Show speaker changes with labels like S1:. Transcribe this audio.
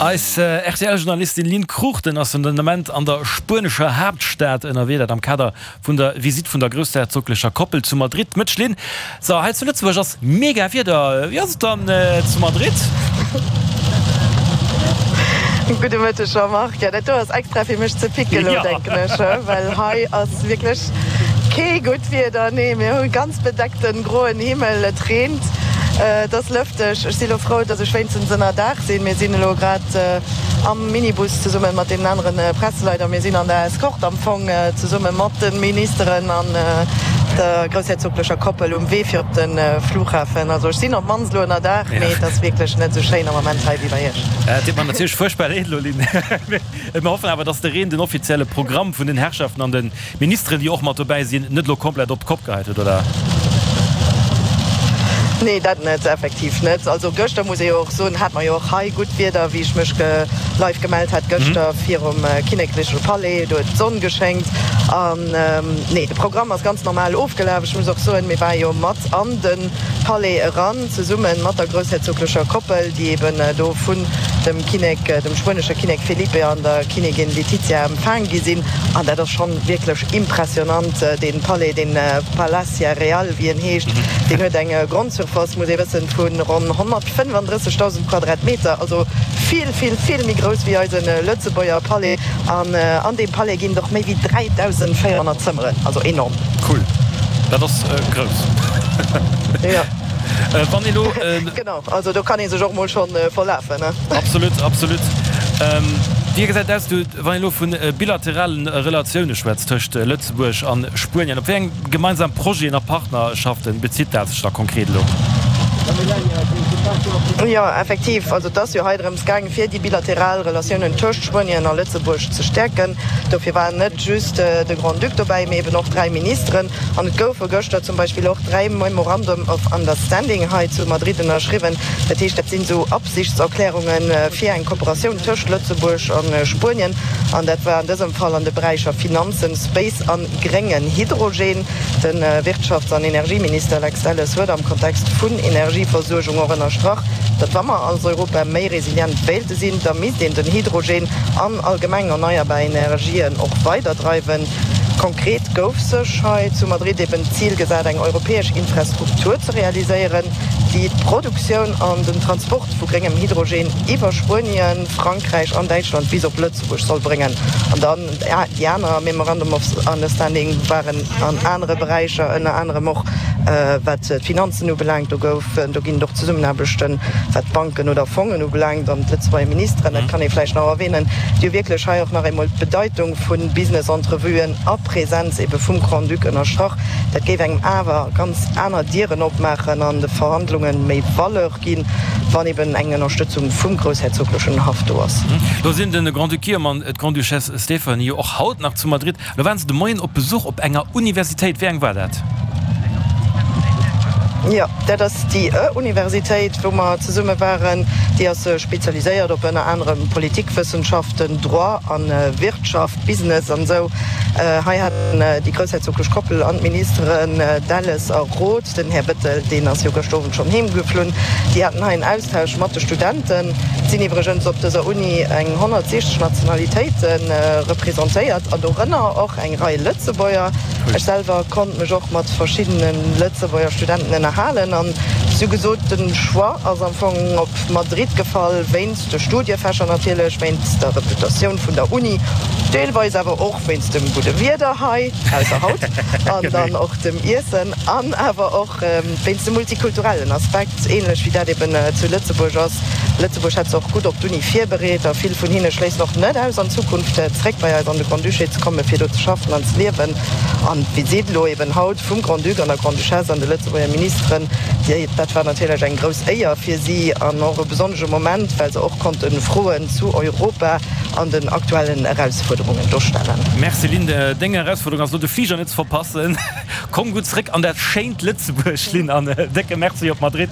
S1: Eis RTL-Journalistin Lynn Cruchten ass den Ament an der spuenescher Haaptstad ënnerwee, dat am Kader vun der Visitt vun der groussherzoglecher Koppel zu Madrid. Mëtsch Lynn, so hei zu Lëtzebuerg ass mega Wieder, wéi ass et dann zu Madrid?
S2: Gudde Mëtteg Jean-Marc, jo dat do ass extra fir mech ze picken elo denken ech, well hei ass wierklech kee gutt Wieder, nee mir hu ganz bedeckten groen Himmel, et reent, et ass lëfteg. Ech si lo frou, dass ech wéinstens ënner Daach sinn. Mir sinn elo grad am Minibus zesumme mat deenen aneren Presseleit a mir sinn an der Escorte am Fong zesumme mat de Ministeren an der groussherzoglecher Koppel um Wee fir op de Flughafen. Also ech sinn op d'mannst elo ënner Daach, mee et ass wierklech net esou schéin am Ament hei wéi bei Iech.
S1: Et deet mer natierlech fuerchtbar leed elo, Lynn. Mir hoffen awer, dass de Reen den offizielle Programm vun den Herrschaften an de Ministeren, déi och mat dobäi sinn, net elo komplett op d'Kopp geheit huet, oder?
S2: Nee, dat net, effektiv net. Also gëschter, muss ee jo och soen, hate mer jo och hei gutt Wieder, wéi ech mech live gemellt hat gëschter virum kinnekleche Palais. Do huet d'Sonn geschéngt. An nee, de Programm ass ganz normal ofgelaf. Ech muss och soen, mir ware jo mat an de Palais eran, zesumme mat der groussherzoglecher Koppel, déi eben do vun dem Kinnek, dem spuenesche Kinnek Felipe an der Kinnigin Letizia empfaang gi sinn. An dat ass schonn wierklech impressionant, dee Palais, dee Palacia Real, wéi en heescht, deen huet eng Grondsurface, muss ee wëssen, vu ronn 135.000 Quadratmeter, also vill, vill, vill méi grouss wéi eise Lëtzebuerger Palais. An an deem Palais ginn et och méi wéi 3.400 Zëmmeren, also enorm.
S1: Cool, dat ass grouss.
S2: Jo. Wann ee lo. Genau, also do kann ee sech och mol schonn verlafen, ne?
S1: Absolut, absolut. Wéi gesäit et aus, du, wann ee lo vu bilateralen Relatioune schwätzt tëscht Lëtzebuerg a Spuenien, op wéi eng gemeinsam Projeten a Partnerschaften bezitt dat sech da konkret elo?
S2: Jo, effektiv, also et ass jo hei drëms gaang, fir déi bilateral Relatiounen tëscht Spuenien a Lëtzebuerg ze stäerken. Dofir war net just de Grand-Duc dobäi, mee eben och 3 Ministeren. An et goufe gëschter zum Beispill och 3 Memorandum of Understanding hei zu Madrid ënnerschriwwen. Dat heescht, dat sinn esou Absichtserklärunge fir eng Kooperatioun tëscht Lëtzebuerg a Spuenien. An dat war an dësem Fall an de Beräicher Finanzen, Space a gréngen Hydrogen. De Wirtschafts an Energieminister Lex Delles huet am Kontext vun Energieversuergung och ënnerstrach, datt wa mer als Europa méi resilient wéilte sinn, da misst een den Hydrogen an allgemeng erneierbar Energien och weiderdreiwen. Konkret gouf sech hei zu Madrid eben d'Zil gesat, eng europäesch Infrastruktur ze realiséieren, déi d'Produktioun an den Transport vu gréngem Hydrogen iwwer Spuenien, Frankräich an Däitschland bis op Lëtzebuerg soll bréngen. An dann déi aner Memorandum of Understanding waren an anere Beräicher, ënner anerem och wat d'Finanzen ubelaangt. Do gouf, do ginn et och Zesummenaarbechten, wat d'Banken oder Fongen ubelaangt. An d'Lëtzebuerger Ministeren, dat kann ee vläicht nach erwähnen, déi hu wierklech hei och nach eemol d'Bedeitung vu Business-Entrevuen a Präsenz ebe vum Grand-Duc ënnerstrach. Dat géif engem awer ganz aner Dieren opmaachen an de Verhandlunge méi Valeur ginn, wann eben eng Ënnerstëtzung vum groussherzoglechen Haff do ass.
S1: Lo sinn de Grand-Duc Guillaume an d'Grande-Duchesse Stéphanie jo och haut nach zu Madrid. Lo waren se de Moien op Besuch op enger Universitéit. Wéi eng war dat?
S2: Jo, dat ass déi Universitéit, wou mer zesumme waren. Déi ass spezialiséiert op ënner anerem Politikwëssenschaften, Droit a Wirtschaft, Business an esou. Hei haten déi groussherzoglech Koppel an d'Ministeren Delles a Roth, den Här Bettel, deen ass jo gëschter Owend schonn heem geflunn, déi haten hei en Austausch mat de Studenten. Et sinn iwwregens op dëser Uni eng 160 Nationalitéite representéiert an dorënner och eng Rei Lëtzebuerger. Ech selwer konnt mech och mat verschiddene Lëtzebuerger Studenten ënnerhalen an si hu gesot, de Choix ass am Fong op Madrid gefall, wéinst de Studiefächer natierlech, wéinst der Reputatioun vun der Uni, deelweis awer och wéinst dem gudde Wieder hei, ausser haut, an dann och dem Iessen an awer och wéinst dem multikulturellen Aspekt, änlech wéi dat eben zu Lëtzebuerg ass. Lëtzebuerg hätt se och gutt op d'Uni virbereet a vill vun hinne schléissen och net aus, an Zukunft zréck bei eis an de Grand-Duché ze kommen, fir do ze schaffen an ze liewen. An d'Visitt elo eben haut vum Grand-Duc an der Grande-Duchesse an de Lëtzebuerger Ministeren, déi, dat war natierlech eng grouss Éier fir si an och e besonnesche Moment, well se och konnte Froen zu Europa an den aktuellen Erausfuerderungen do stellen.
S1: Merci Lynn, deng Erausfuerderung ass elo de Fliger net ze verpassen. Komm gutt zréck an dat schéint Lëtzebuerg Lynn an e décke Merci op Madrid.